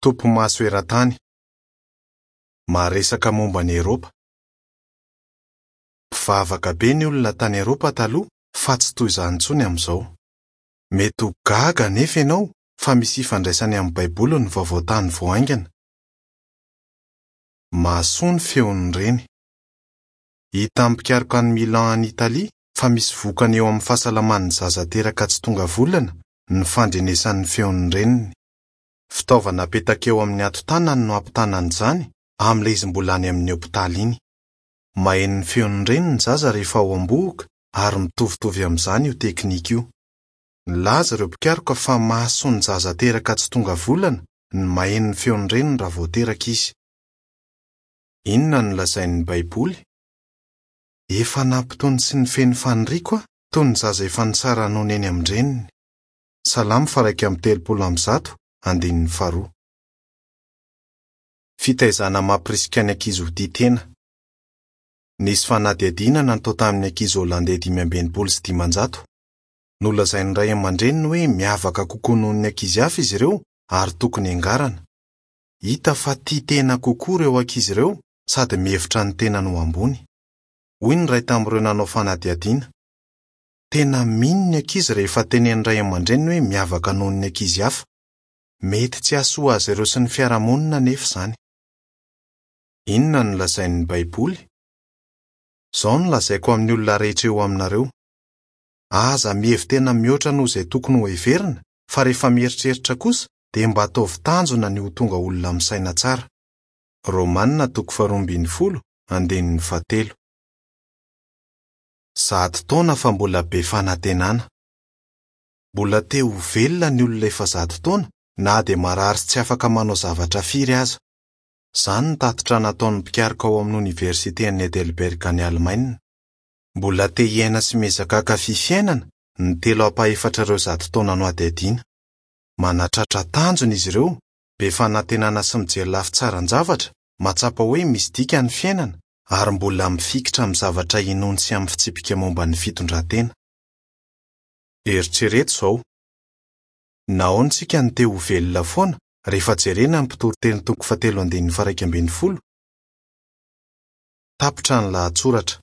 Topimaso eran-tany. Maharesaka momba an'i Eropa. Mpivavaka be ny olona tany Eropa taloha fa tsy toy izany intsony amin'izao. Mety ho gaga anefa ianao fa misy ifandraisany amin'ny Baiboly ny vaovao tany vao haingana. Mahasoa ny feon'ny reny. Hitan'ny mpikaroka any Milan any Italia fa misy vokany eo amin'ny fahasalaman'ny zaza teraka tsy tonga volana ny fandrenesany ny feon'ny reniny. Fitaovana apetaka eo amin'ny hatotanany no ampitana an'izany amin'ilay izy mbola any amin'ny hopitaly iny. Maheno ny feon'ny reniny ny zaza rehefa ao am-bohoka ary mitovitovy amin'izany io teknika io. Nilaza ireo mpikaroka fa mahasoa ny zaza teraka tsy tonga volana ny maheno ny feon'ny reniny raha vao teraka izy. Inona no lazain'ny Baiboly? Efa nampitony sy nifehy ny faniriako aho, toy ny zaza efa nisara-nono eny amin-dreniny. Salamo faha-131, andininy faharoa. Fitaizana mampirisika ny ankizy ho tia tena. Nisy fanadihadiana natao tamin'ny ankizy holandey 565. Nolazain'ny ray aman-dreniny hoe miavaka kokoa noho ny ankizy hafa izy ireo ary tokony hiangarana. Hita fa tia tena kokoa ireo ankizy ireo sady mihevitra ny tenany ho ambony. Hoy ny iray tamin'ireo nanao fanadihadiana, Tena mino ny ankizy rehefa tenenin'ny ray aman-dreniny hoe miavaka noho ny ankizy hafa. Mety tsy hahasoa azy ireo sy ny fiarahamonina anefa izany. Inona no lazain'ny Baiboly? Izao no lazaiko amin'ny olona rehetra eo aminareo, Aza mihevi-tena mihoatra noho izay tokony hoheverina, fa rehefa mieritreritra kosa, dia mba ataovy tanjona ny ho tonga olona misaina tsara. Romana toko faharoa ambin'ny folo, andininy fahatelo. 100 taona fa mbola be fanantenana. Mbola te ho velona ny olona efa 100 taona na dia marary sy tsy afaka manao zavatra firy aza. Izany ny tatitra nataon'ny mpikaroka ao amin'ny Oniversiten'i Heidelberg any Alemaina. Mbola te hiaina sy miezaka hankafy fiainana ny telo ampahefatr'ireo 100 taona nohadihadiana. Manatratra tanjona izy ireo, be fanantenana sy mijery lafy tsaran-javatra, mahatsapa hoe misy dikany ny fiainana, ary mbola mifikitra amin'ny zavatra inoany sy amin'ny fitsipika momba ny fitondran-tena. Eritrereto izao, Nahoana isika no te ho velona foana rehefa jerena ny Mpitoriteny toko fahatelo andininy faha-11? Tapitra ny lahatsoratra.